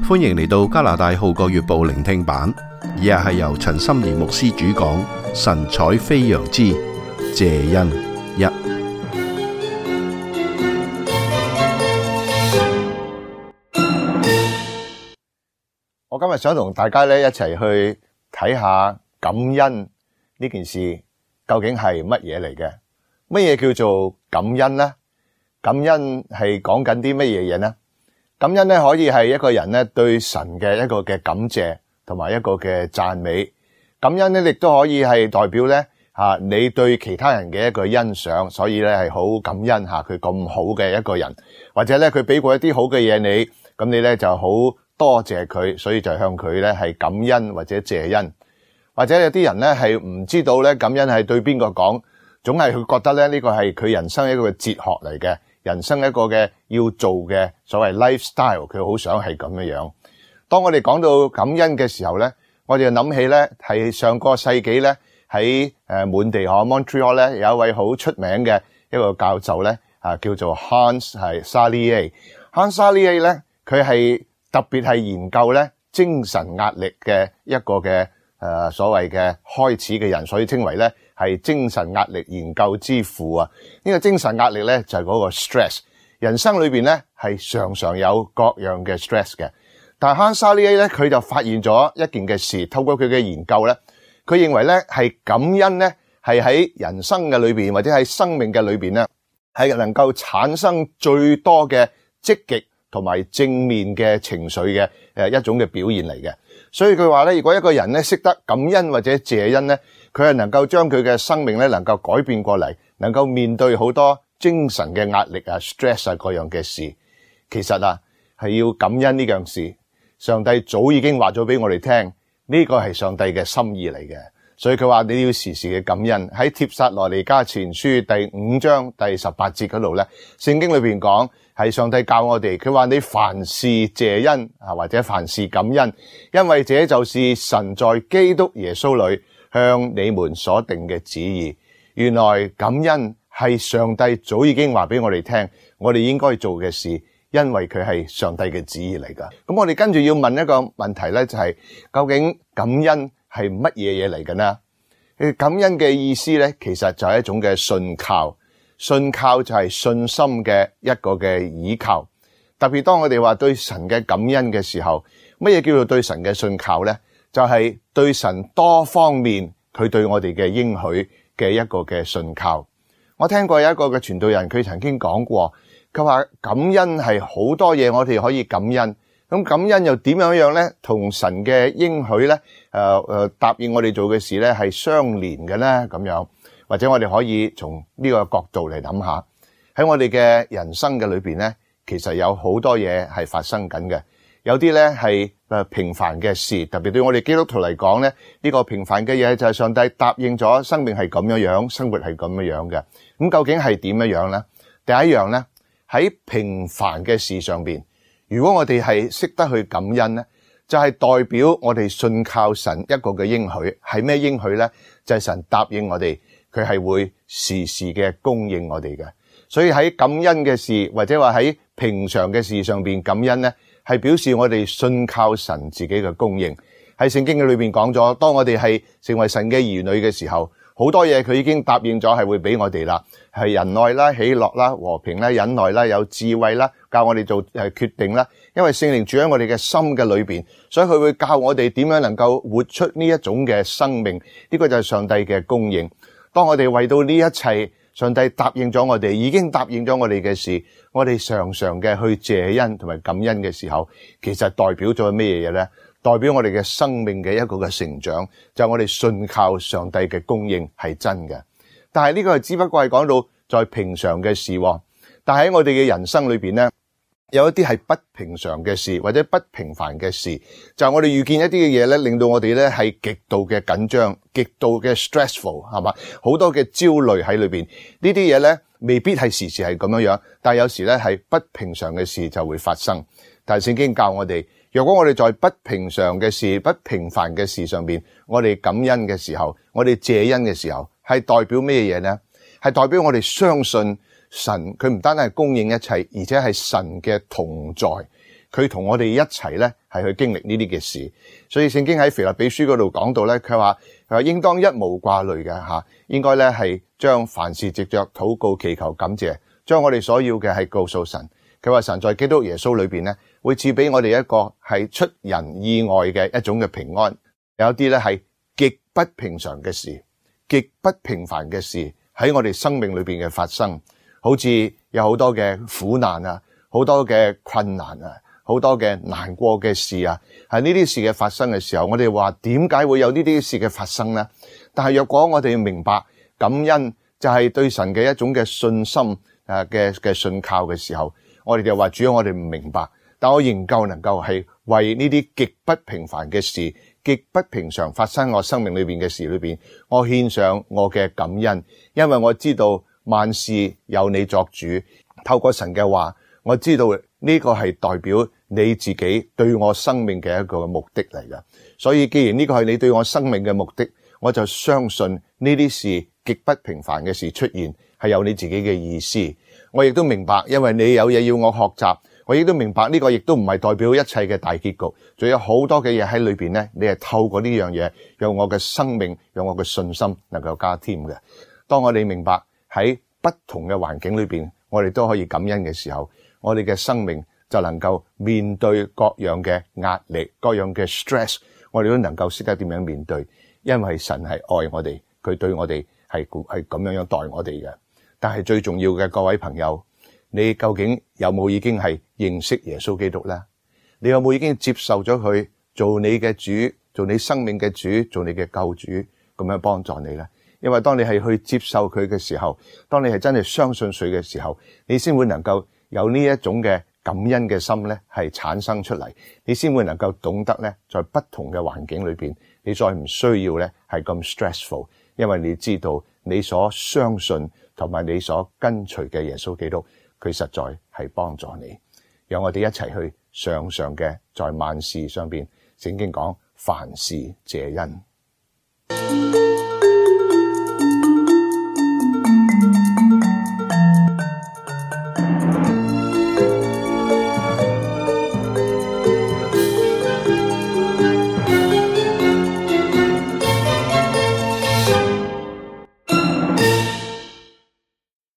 歡迎嚟到加拿大號角月報聆聽版，以下係由陳心怡牧師主講，神采飛揚之謝恩一。我今日想同大家咧一齊去睇下感恩呢件事究竟係乜嘢嚟嘅？乜嘢叫做感恩呢？感恩係講緊啲乜嘢嘢呢？感恩咧可以係一個人咧對神嘅一個嘅感謝同埋一個嘅讚美。感恩咧亦都可以係代表咧你對其他人嘅一個欣賞，所以咧係好感恩佢咁好嘅一個人，或者咧佢俾過一啲好嘅嘢你，咁你咧就好多謝佢，所以就向佢咧係感恩或者謝恩。或者有啲人咧係唔知道咧感恩係對邊個講，總係佢覺得咧呢個係佢人生一個哲學嚟嘅。人生一個嘅要做嘅所謂 lifestyle， 佢好想係咁樣。當我哋講到感恩嘅時候咧，我哋就諗起咧係上個世紀咧喺滿地Montreal 咧有一位好出名嘅一個教授咧叫做 Hans Salier。Hans Salier 咧佢係特別係研究咧精神壓力嘅一個嘅所謂嘅開始嘅人，所以稱為咧係精神壓力研究之父啊！呢個精神壓力咧就係嗰個 stress。人生裏邊咧係常常有各樣嘅 stress 嘅，但係 Hans Salier咧佢就發現咗一件嘅事，透過佢嘅研究咧，佢認為咧係感恩咧係喺人生嘅裏邊或者喺生命嘅裏邊咧係能夠產生最多嘅積極同埋正面嘅情緒嘅一種嘅表現嚟嘅。所以佢話咧，如果一個人咧識得感恩或者謝恩咧，佢係能夠將佢嘅生命咧能夠改變過嚟，能夠面對好多精神嘅壓力stress 各樣嘅事。其實係要感恩呢樣事，上帝早已經話咗俾我哋聽，呢個係上帝嘅心意嚟嘅。所以佢話你要時時嘅感恩。喺帖撒羅尼迦前書第5章第18節嗰度咧，聖經裏邊講係上帝教我哋，佢話你凡事謝恩或者凡事感恩，因為這就是神在基督耶穌裏向你們所定嘅旨意。原來感恩係上帝早已經話俾我哋聽，我哋應該做嘅事，因為佢係上帝嘅旨意嚟噶。咁我哋跟住要問一個問題咧，就係究竟感恩係乜嘢嘢嚟嘅呢？感恩嘅意思咧，其實就係一種嘅信靠。信靠就係信心嘅一個嘅倚靠。特別當我哋話對神嘅感恩嘅時候，乜嘢叫做對神嘅信靠咧？就係對神多方面佢對我哋嘅應許嘅一個嘅信靠。我聽過有一個嘅傳道人，佢曾經講過，佢話感恩係好多嘢我哋可以感恩。咁感恩又點樣咧？同神嘅應許咧，答應我哋做嘅事咧係相連嘅咧，咁樣，或者我哋可以從呢個角度嚟諗下，喺我哋嘅人生嘅裏邊咧，其實有好多嘢係發生緊嘅。有啲咧係平凡嘅事，特別對我哋基督徒嚟講咧，呢個平凡嘅嘢就係上帝答應咗，生命係咁樣，生活係咁樣嘅。咁究竟係點樣咧？第一樣咧，喺平凡嘅事上邊，如果我哋係識得去感恩咧，就係代表我哋信靠神一個嘅應許。係咩應許咧？就係神答應我哋，佢係會時時嘅供應我哋嘅。所以喺感恩嘅事，或者話喺平常嘅事上邊感恩咧，係表示我哋信靠神自己嘅供應。喺聖經嘅裏邊講咗，當我哋係成為神嘅兒女嘅時候，好多嘢佢已經答應咗係會俾我哋啦，係仁愛啦、喜樂啦、和平啦、忍耐啦、有智慧啦，教我哋做決定啦。因為聖靈住喺我哋嘅心嘅裏邊，所以佢會教我哋點樣能夠活出呢一種嘅生命。呢個就係上帝嘅供應。當我哋為到呢一切，上帝答應咗我哋，已經答應咗我哋嘅事，我哋常常嘅去謝恩同埋感恩嘅時候，其實代表咗咩嘢咧？代表我哋嘅生命嘅一個嘅成長，就係我哋信靠上帝嘅供應係真嘅。但係呢個係只不過係講到在平常嘅事，但係喺我哋嘅人生裏邊咧，有一啲係不平常嘅事或者不平凡嘅事，就係我哋遇見一啲嘅嘢咧，令到我哋咧係極度嘅緊張、極度嘅 stressful， 係嘛？好多嘅焦慮喺裏邊。呢啲嘢咧未必係時時係咁樣，但係有時咧係不平常嘅事就會發生。但係聖經教我哋，若果我哋在不平常嘅事、不平凡嘅事上邊，我哋感恩嘅時候，我哋謝恩嘅時候，係代表咩嘢呢？係代表我哋相信神，佢唔單單係供應一切，而且係神嘅同在。佢同我哋一齊咧係去經歷呢啲嘅事。所以聖經喺腓立比書嗰度講到咧，佢話應當一無掛慮嘅吓，應該咧係將凡事藉着禱告祈求感謝，將我哋所要嘅係告訴神。佢話神在基督耶穌裏邊咧，會賜俾我哋一個係出人意外嘅一種嘅平安。有啲咧係極不平常嘅事，極不平凡嘅事喺我哋生命裏邊嘅發生，好似有好多嘅苦難啊，好多嘅困難啊，好多嘅難過嘅事啊，係呢啲事嘅發生嘅時候，我哋話點解會有呢啲事嘅發生呢？但係若果我哋明白感恩就係對神嘅一種嘅信心嘅信靠嘅時候，我哋就話主要我哋唔明白，但我仍舊能夠係為呢啲極不平凡嘅事，極不平常發生我生命裏邊嘅事裏邊，我獻上我嘅感恩，因為我知道萬事有你作主。透過神嘅話，我知道呢個係代表你自己對我生命嘅一個目的嚟嘅。所以既然呢個係你對我生命嘅目的，我就相信呢啲事極不平凡嘅事出現係有你自己嘅意思。我亦都明白，因為你有嘢要我學習，我亦都明白呢個亦都唔係代表一切嘅大結局，仲有好多嘅嘢喺裏邊咧，你係透過呢樣嘢讓我嘅生命，讓我嘅信心能夠加添嘅。當我哋明白喺不同嘅環境裏邊，我哋都可以感恩嘅時候，我哋嘅生命就能夠面對各樣嘅壓力，各樣嘅 stress， 我哋都能夠識得點樣面對，因為神係愛我哋，佢對我哋係咁樣待我哋嘅。但係最重要嘅，各位朋友，你究竟有冇已經係認識耶穌基督呢？你有冇已經接受咗佢做你嘅主，做你生命嘅主，做你嘅救主，咁樣幫助你呢？因為當你係去接受佢嘅時候，當你係真係相信佢嘅時候，你先會能夠有呢一種嘅感恩嘅心咧，係產生出嚟，你先會能夠懂得咧，在不同嘅環境裏邊，你再唔需要咧係咁 stressful， 因為你知道你所相信同埋你所跟隨嘅耶穌基督，佢實在係幫助你。讓我哋一齊去常常嘅在萬事上邊，聖經講凡事謝恩。